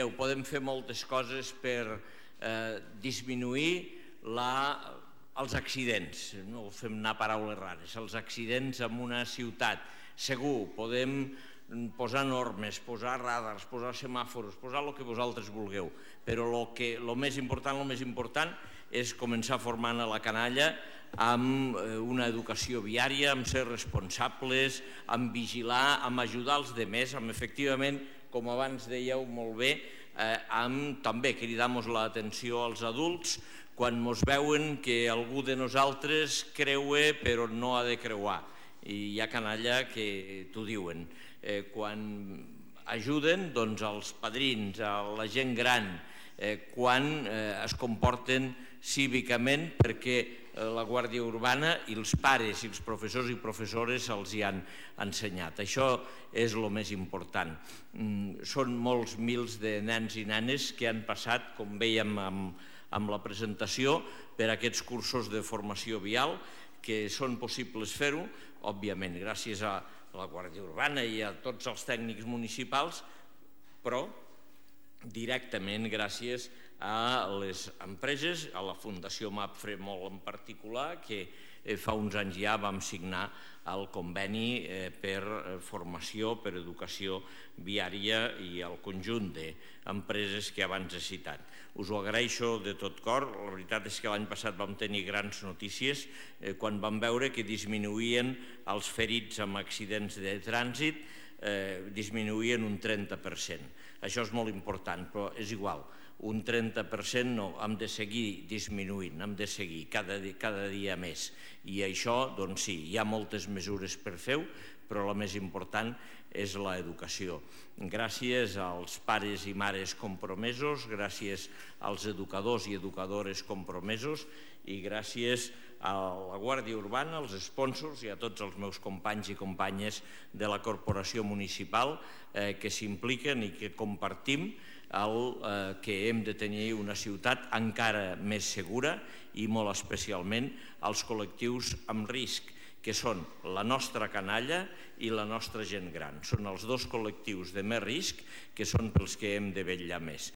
Mireu, podem fer moltes coses per disminuir els accidents, no fem anar paraules rares, els accidents en una ciutat. Segur, podem posar normes, posar radars, posar semàfors, posar el que vosaltres vulgueu, però el més important és començar formant a la canalla amb una educació viària, amb ser responsables, amb vigilar, amb ajudar els altres, amb efectivament, com abans dèieu molt bé, amb també cridar-nos l'atenció als adults quan ens veuen que algú de nosaltres creua però no ha de creuar. I hi ha canalla que t'ho diuen. Quan ajuden als padrins, a la gent gran, quan es comporten cívicament perquè la Guàrdia Urbana i els pares i els professors i professores els hi han ensenyat. Això és el més important. Són molts mils de nens i nenes que han passat, com vèiem amb la presentació, per aquests cursos de formació vial, que són possibles fer-ho, òbviament, gràcies a la Guàrdia Urbana i a tots els tècnics municipals, però directament gràcies a les empreses, a la Fundació MAPFRE molt en particular, que fa uns anys ja vam signar el conveni per formació, per educació viària i el conjunt d'empreses que abans he citat. Us ho agraeixo de tot cor. La veritat és que l'any passat vam tenir grans notícies quan vam veure que disminuïen els ferits amb accidents de trànsit, disminuïen un 30%. Això és molt important, però és igual. Un 30% no, hem de seguir disminuint, hem de seguir cada dia més. I això, doncs sí, hi ha moltes mesures per fer-ho, però la més important és l'educació. Gràcies als pares i mares compromesos, gràcies als educadors i educadores compromesos i gràcies a la Guàrdia Urbana, als sponsors i a tots els meus companys i companyes de la corporació municipal que s'impliquen i que compartim que hem de tenir una ciutat encara més segura i molt especialment als col·lectius amb risc, que són la nostra canalla i la nostra gent gran. Són els dos col·lectius de més risc que són pels que hem de vetllar més.